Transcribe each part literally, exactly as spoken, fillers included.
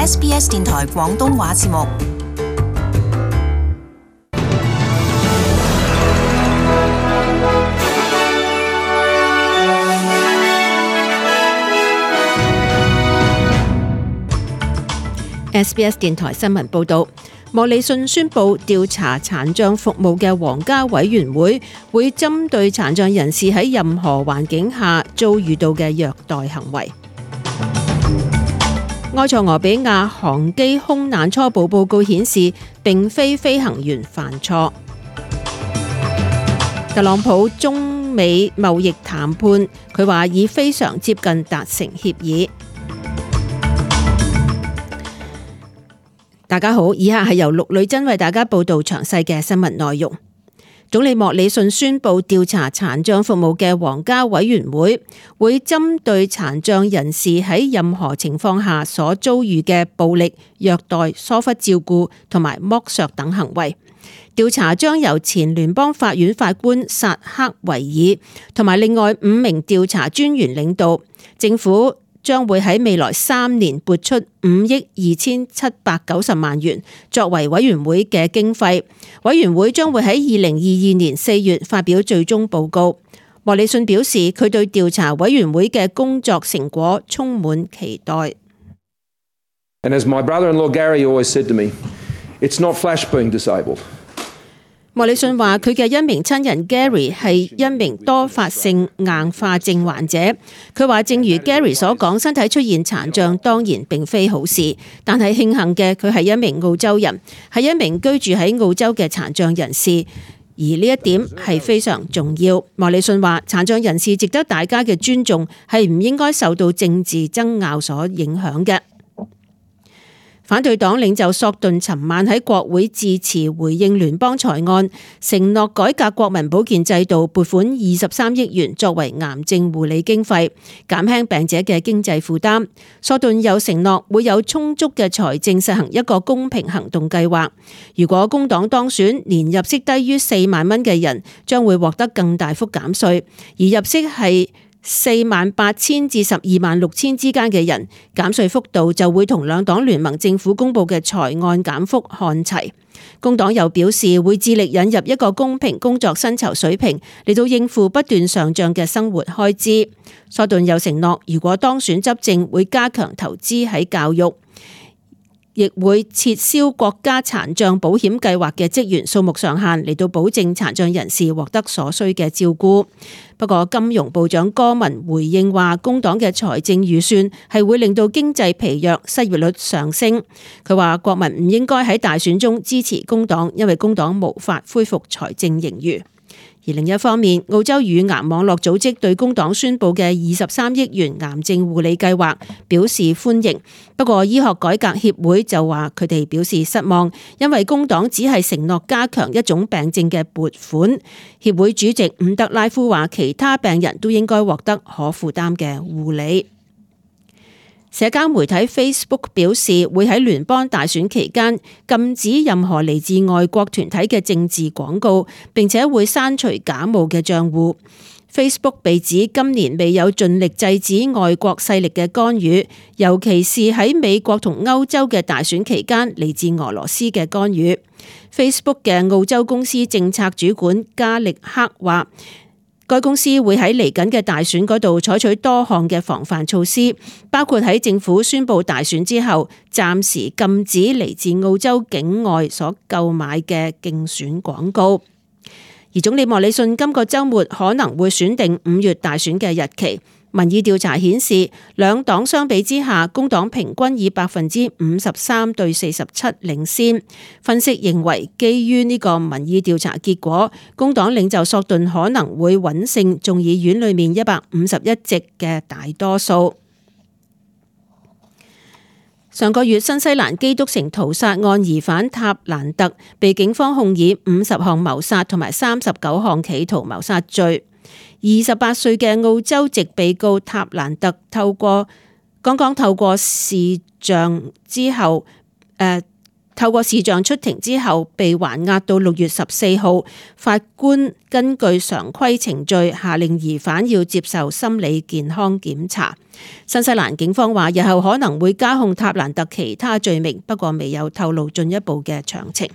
S B S 電台廣東話節目。S B S 電台新聞報導，莫里遜宣布調查殘障服務嘅皇家委員會會針對殘障人士喺任何環境下遭遇到嘅虐待行為。埃塞俄比亞航機空難初步報告顯示，並非飛行員犯錯。特朗普中美貿易談判，佢話已非常接近達成協議。大家好，以下係由陸女珍為大家報道詳細嘅新聞內容。總理莫里遜宣布調查殘障服務嘅皇家委員會會針對殘障人士喺任何情況下所遭遇嘅暴力、虐待、疏忽照顧同埋剝削等行為。調查將由前聯邦法院法官薩克維爾同埋另外五名調查專員領導。政府將會喺未來三年撥出五億二千七百九十萬元作為委員會嘅經費。委員會將會喺二零二二年四月發表最終報告。莫里遜表示，佢對調查委員會嘅工作成果充滿期待。And as my brother-in-law Gary always said to me, it's not Flash being disabled. 莫里遜話：佢嘅一名親人 Gary 係一名多發性硬化症患者。佢話：正如 Gary 所講，身體出現殘障當然並非好事，但係慶幸嘅佢係一名澳洲人，係一名居住喺澳洲嘅殘障人士，而呢一點係非常重要。莫里遜話：殘障人士值得大家嘅尊重，係唔應該受到政治爭拗所影響嘅。反對黨領袖索頓尋晚喺國會致辭回應聯邦財案，承諾改革國民保健制度，撥款二十三億元作為癌症護理經費，減輕病者嘅經濟負擔。索頓又承諾會有充足嘅財政實行一個公平行動計劃。如果工黨當選，年入息低於四萬蚊嘅人將會獲得更大幅減稅，而入息係四萬八千至十二萬六千之間嘅人，減稅幅度就會同兩黨聯盟政府公布嘅財案減幅看齊。工黨又表示會致力引入一個公平工作薪酬水平，嚟到應付不斷上漲嘅生活開支。索頓又承諾，如果當選執政，會加強投資喺教育，亦會撤銷國家殘障保險計劃嘅職員數目上限，嚟到保證殘障人士獲得所需嘅照顧。不過，金融部長戈文回應話，工黨嘅財政預算係會令到經濟疲弱、失業率上升。佢話國民唔應該喺大選中支持工黨，因為工黨無法恢復財政盈餘。而另一方面，澳洲乳癌網絡組織對工黨宣布嘅二十三億元癌症護理計劃表示歡迎。不過，醫學改革協會就話佢哋表示失望，因為工黨只係承諾加強一種病症嘅撥款。協會主席伍德拉夫話，其他病人都應該獲得可負擔嘅護理。社交媒體 Facebook 表示會喺聯邦大選期間禁止任何嚟自外國團體嘅政治廣告，並且會刪除假冒嘅賬戶。Facebook 被指今年未有盡力制止外國勢力嘅干預，尤其是喺美國同歐洲嘅大選期間嚟自俄羅斯嘅干預。Facebook 嘅澳洲公司政策主管加力克話，該公司會喺嚟緊嘅大選嗰度採取多項嘅防範措施，包括喺政府宣布大選之後，暫時禁止嚟自澳洲境外所購買嘅競選廣告。而總理莫里遜今個週末可能會選定五月大選嘅日期。民意調查顯示，兩黨相比之下，工黨平均以百分之五十三對四十七領先。分析認為，基於呢個民意調查結果，工黨領袖索頓可能會穩勝眾議院裏面一百五十一席嘅大多數。上個月，新西蘭基督城屠殺案疑犯塔蘭特被警方控以五十項謀殺同埋三十九項企圖謀殺罪。二十八歲嘅澳洲籍被告塔蘭特透過剛剛透過視像之後，誒、呃、透過視像出庭之後，被還押到六月十四號。法官根據常規程序下令疑犯要接受心理健康檢查。新西蘭警方話，日後可能會加控塔蘭特其他罪名，不過未有透露進一步嘅詳情。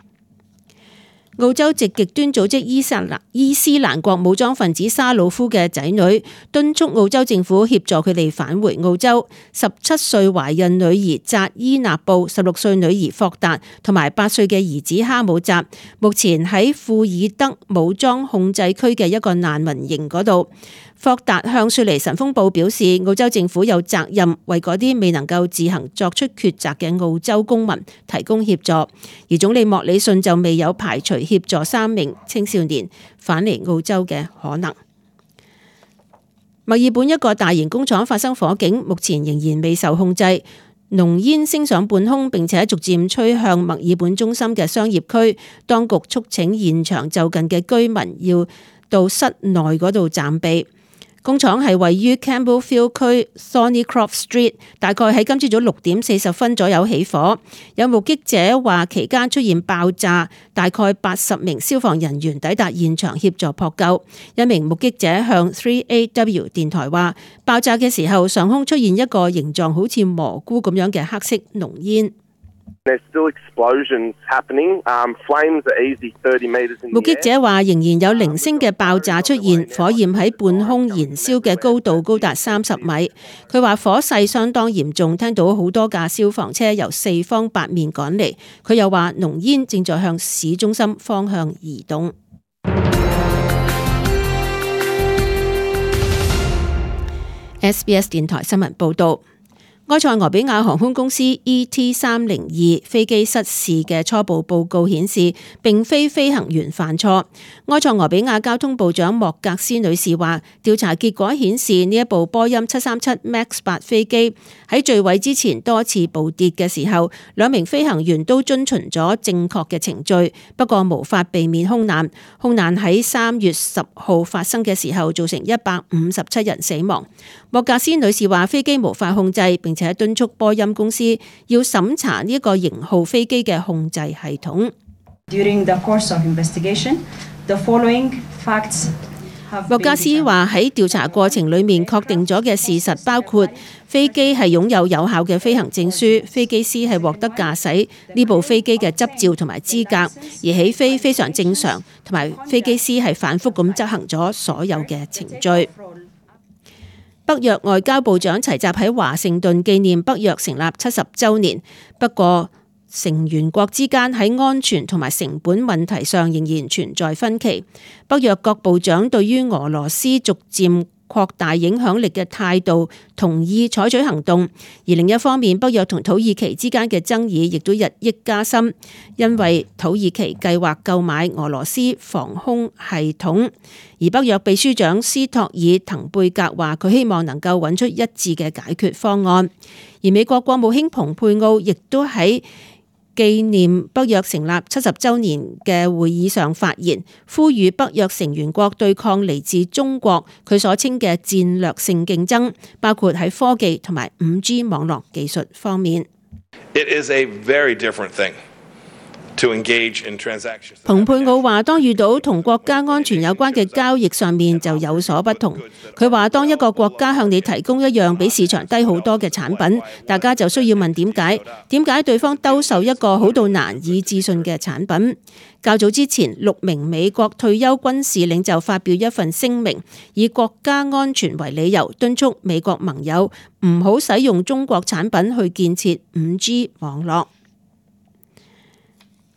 澳洲籍極端組織伊斯蘭伊斯蘭國武裝分子沙魯夫嘅仔女敦促澳洲政府協助佢哋返回澳洲。十七歲懷孕女兒扎伊納布、十六歲女兒霍達同埋八歲嘅兒子哈姆扎，目前喺庫爾德武裝控制區嘅一個難民營嗰度。霍達向雪梨晨鋒報表示，澳洲政府有責任為嗰啲未能夠自行作出抉擇嘅澳洲公民提供協助，而總理莫里遜就未有排除協助三名青少年返嚟澳洲嘅可能。墨爾本一個大型工廠發生火警，目前仍然未受控制，濃煙升上半空，並且逐漸吹向墨爾本中心嘅商業區。當局促請現場就近嘅居民要到室內嗰度暫避。工廠係位於 Campbellfield 區 Thornycroft Street， 大概喺今朝早六點四十分左右起火。有目擊者話期間出現爆炸，大概八十名消防人員抵達現場協助撲救。一名目擊者向 three A W 電台話，爆炸嘅時候上空出現一個形狀好似蘑菇咁樣嘅黑色濃煙。目擊者話仍然有零星嘅爆炸出現，火焰喺半空燃燒嘅高度高達三十米。佢話火勢相當嚴重，聽到好多架消防車由四方八面趕嚟。佢又話濃煙正在向市中心方向移動。S B S 電台新聞報道。埃塞俄比亞航空公司 E T 三零二飛機失事嘅初步報告顯示，並非飛行員犯錯。埃塞俄比亞交通部長莫格斯女士話，調查結果顯示呢一部波音七三七 MAX 八飛機喺墜毀之前多次暴跌嘅時候，兩名飛行員都遵循咗正確嘅程序，不過無法避免空難。空難喺三月十號發生嘅時候，造成一百五十七人死亡。莫格斯女士話，飛機無法控制，並且敦促波音公司要審查呢一個型號飛機嘅控制系統。During the course of investigation, the following facts have been determined. 莫格斯話喺調查過程裡面確定咗嘅事實包括飛機係擁有有效嘅飛行證書，飛機師係獲得駕駛呢部飛機嘅執照同埋資格，而起飛非常正常，同埋飛機師係反覆咁執行咗所有嘅程序。北約外交部長齊集喺華盛頓紀念北約成立七十週年，不過成員國之間喺安全同埋成本問題上仍然存在分歧。北約各部長對於俄羅斯逐漸擴大影響力嘅態度，同意採取行動。而另一方面，北約同土耳其之間嘅爭議亦都日益加深，因為土耳其計劃購買俄羅斯防空系統。而北約秘書長斯托爾滕貝格話，佢希望能夠揾出一致嘅解決方案。而美國國務卿蓬佩奧亦都喺紀念北約成立七十週年嘅會議上發言，呼籲北約成員國對抗嚟自中國佢所稱嘅戰略性競爭，包括喺科技同埋五 G 網絡技術方面。It is a very different thing to engage in transactions. 蓬佩奧話，當遇到同國家安全有關嘅交易上面就有所不同。佢話，當一個國家向你提供一樣比市場低好多嘅產品，大家就需要問點解？點解對方兜售一個好到難以置信嘅產品？較早之前，六名美國退休軍事領袖發表一份聲明，以國家安全為理由，敦促美國盟友唔好使用中國產品去建設五 G 網絡。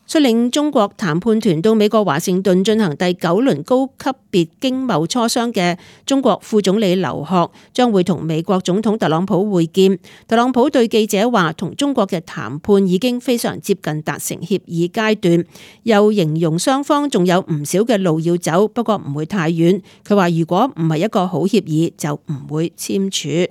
率領中國談判團到美國華盛頓進行第九輪高級別經貿磋商嘅中國副總理劉鶴將會同美國總統特朗普會見。特朗普對記者話，同中國嘅談判已經非常接近達成協議階段，又形容雙方仲有唔少嘅路要走，不過唔會太遠。佢話如果唔係一個好協議，就唔會簽署。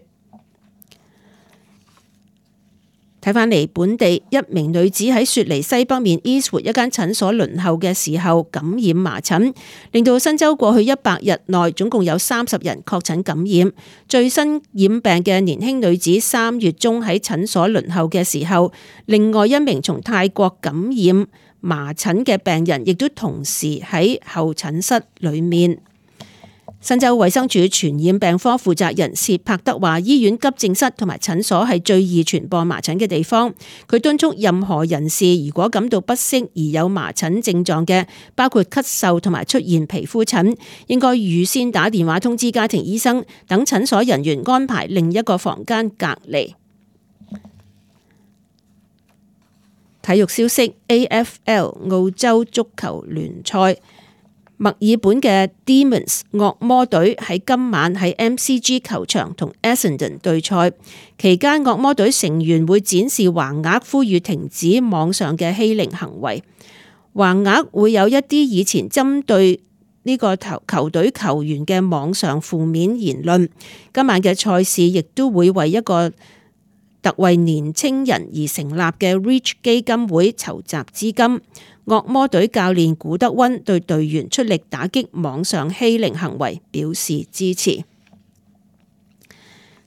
睇返嚟，本地一名女子喺雪梨西北面 Eastwood 一間診所輪候嘅時候感染麻疹，令到新州過去一百日內總共有三十人確診感染。最新染病嘅年輕女子三月中喺診所輪候嘅時候，另外一名從泰國感染麻疹嘅病人亦都同時喺候診室裏面。新州衛生署傳染病科負責人薛柏德話，醫院急症室同埋診所係最易傳播麻疹嘅地方。佢敦促任何人士如果感到不適而有麻疹症狀嘅，包括咳嗽同埋出現皮膚疹，應該預先打電話通知家庭醫生，等診所人員安排另一個房間隔離。體育消息 ，A F L 澳洲足球聯賽。墨爾本嘅 Demons 惡魔隊喺今晚喺 M C G 球場同 Essendon 對賽，期間惡魔隊成員會展示橫額，呼籲停止網上嘅欺凌行為。橫額會有一啲以前針對呢個球球隊球員嘅網上負面言論。今晚嘅賽事亦都會為一個特為年青人而成立嘅 Reach 基金會籌集資金。惡魔隊教練古德溫對隊員出力打擊網上欺凌行為表示支持。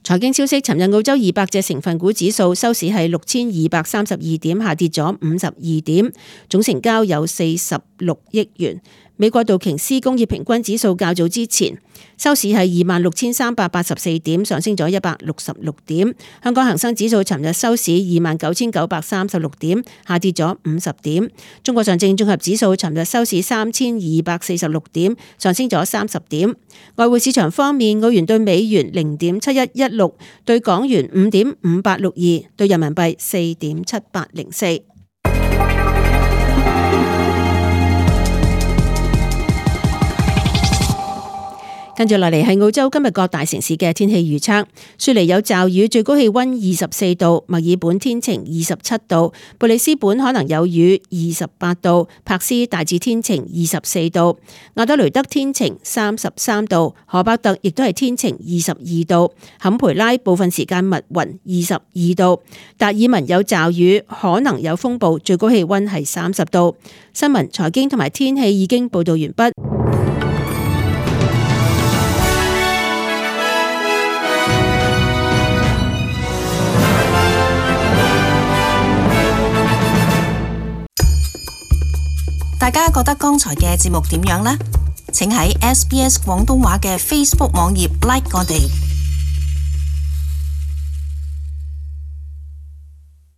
財經消息，尋日澳洲二百隻成分股指數收市係六千二百三十二點，下跌咗五十二點，總成交有四十六億元。美國道瓊斯工業平均指數較早之前收市係二萬六千三百八十四點，上升咗一百六十六點。香港恒生指數尋日收市二萬九千九百三十六點，下跌咗五十點。中國上證綜合指數尋日收市三千二百四十六點，上升咗三十點。外匯市場方面，澳元對美元零點七一一六，對港元五點五八六二，對人民幣四點七八零四。跟住落嚟係澳洲今日各大城市嘅天氣預測。雪梨有驟雨，最高氣溫二十四度；墨爾本天晴，二十七度；布里斯本可能有雨，二十八度；柏斯大致天晴，二十四度；亞德雷德天晴，三十三度；荷伯特亦都係天晴，二十二度；坎培拉部分時間密雲，二十二度；達爾文有驟雨，可能有風暴，最高氣溫係三十度。新聞、財經同埋天氣已經報道完畢。大家覺得剛才嘅節目點樣呢？請喺 S B S 廣東話嘅 Facebook 網頁 like 我哋。